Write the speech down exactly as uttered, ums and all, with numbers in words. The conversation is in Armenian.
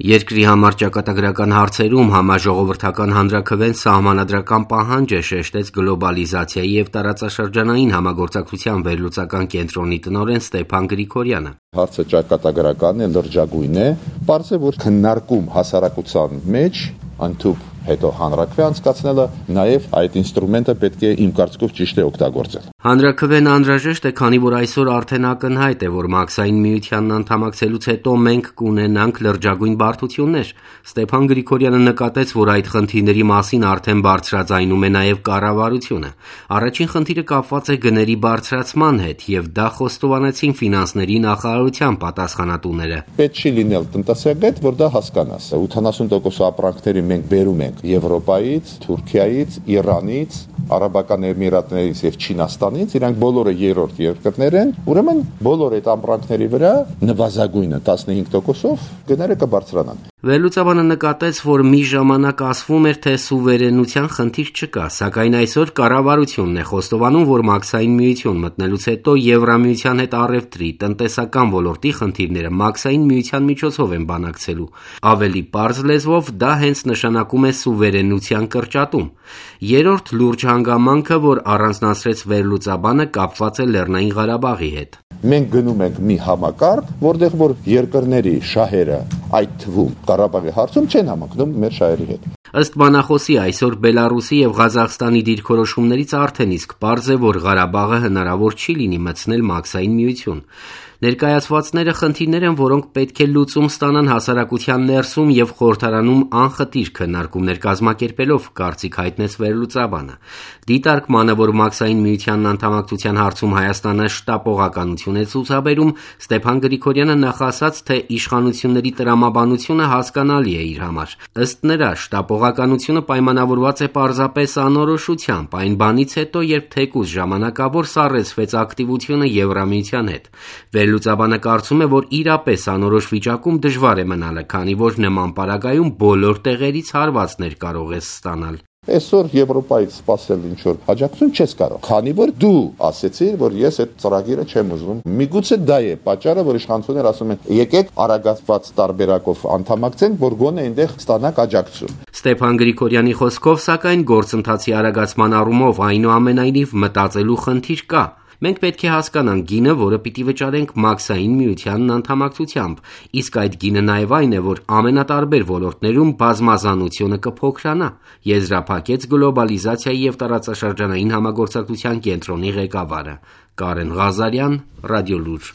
Երկրի համար ճակատագրական հարցերում համաժողովրդական հանրաքվեն սահմանադրական պահանջ է, շեշտեց գլոբալիզացիայի և տարածաշրջանային համագործակցության վերլուծական կենտրոնի տնօրեն Ստեփան Գրիգորյանը։ Հարցը ճակատագրական է, լրջագույն է, պարզ է, որ քննարկում հասարակության մեջ ընդհանուր հետո հանրաքվե անցկացնելը, նաև այդ ինստրումենտը պետք է իմ կարծիքով ճիշտ է օգտագործել։ Հանրաքվեն անհրաժեշտ է, քանի որ այսօր արդեն ակնհայտ է, որ Մաքսային միությանն անդամակցելուց հետո մենք կունենանք լրջագույն բարդություններ։ Ստեփան Գրիգորյանը նկատեց, որ այդ խնդիրների մասին արդեն բարձրաձայնում է նաև կառավարությունը։ Առաջին խնդիրը կապված է գների բարձրացման հետ, եւ դա խոստովանեցին ֆինանսների նախարարության պատասխանատուները։ Պետք չի լինել տնտեսագետ, որ դա հասկանաս։ ութանասուն տոկոս ապրանքների մենք բերում ենք Եվրոպայից, Թուրքիայից, Իրանից, Արաբական Էմիրատներից եւ Չինաստանից, իրանք բոլորը երրորդ երկրներ են, ուրեմն բոլոր այդ ապրանքների վրա նվազագույնը տասնհինգ տոկոսով գները կբարձրանան։ Վերլուծաբանը նկատեց, որ մի ժամանակ ասվում էր, թե սուվերենության խնդիր չկա, սակայն այսօր կառավարությունն է խոստովանում, որ Մաքսային միություն մտնելուց հետո Եվրամիության հետ առևտրի, տնտեսական ոլորտի խնդիրները Մաքսային միության միջոցով են բանակցելու։ Ավելի պարզ լեզվով դա հենց նշանակում է սուվերենության կրճատում։ Երրորդ լուրջ հանգամանքը, որ առանձնացրեց վերլուծաբանը, կապված է Լեռնային Ղարաբաղի հետ։ Մենք գնում ենք մի համակարգ, որտեղ որ երկրների շահերը, այդ թվում Ղարաբաղի հարցում չեն համընկնում մեր շահերի հետ։ Ըստ բանախոսի, այսօր Բելարուսի եւ Ղազախստանի դիրքորոշումներից արդեն իսկ պարզ է, որ Ղարաբաղը հնարավոր չի լինի մտցնել Մաքսային միություն։ Ներկայացվածները խնդիրներ են, որոնք պետք է լուծում ստանան հասարակության ներսում եւ խորհրդարանում անխտիր քննարկումներ կազմակերպելով, կարծիք հայտնեց վերլուծաբանը։ Դիտարկմանը, որ Մաքսային միությանն անդամակցության հարցում Հայաստանը շտապողականություն է ցուցաբերում, Ստեփան Գրիգորյանը նախասաց, թե իշխանությունների տրամաբանությունը հասկանալի է իր համար։ Ըստ նրա, շտապողականությունը պայմանավորված է պարզապես անորոշությամբ, այն բանից հետո, երբ թեկուզ ժամանակավոր սառեցվեց ակտիվությունը Եվրամիության հետ։ Վերլուծաբանը կարծում է, որ իրապես անորոշ վիճակում դժվար է մնալը, քանի որ նման պարագայում բոլոր տեղերից հարվածներ կարող ես ստանալ։ Այսօր Եվրոպայից սպասել ինչ-որ աջակցություն չես կարող, քանի որ դու ասեցիր, որ ես այդ ծրագիրը չեմ ուզում։ Միգուցե դա է պատճառը, որ իշխանությունները ասում են՝ եկեք արագացված տարբերակով անդամակցենք, որ գոնե այնտեղ ստանանք աջակցություն։ Ստեփան Գրիգորյանի խոսքով, սակայն գործընթացի արագացման առումով այնուամենայնիվ մտածելու խնդիր կա։ Մենք պետք է հասկանանք գինը, որը պիտի վճարենք Մաքսային միությանն անդամակցությամբ, իսկ այդ գինը նաև այն է, որ ամենատարբեր ոլորտներում բազմազանությունը կփոքրանա, եզրափակեց գլոբալիզացիայի և տարածաշրջանային համագործակցության կենտրոնի ղեկավարը։ Կարեն Ղազարյան, Ռադիոլուր։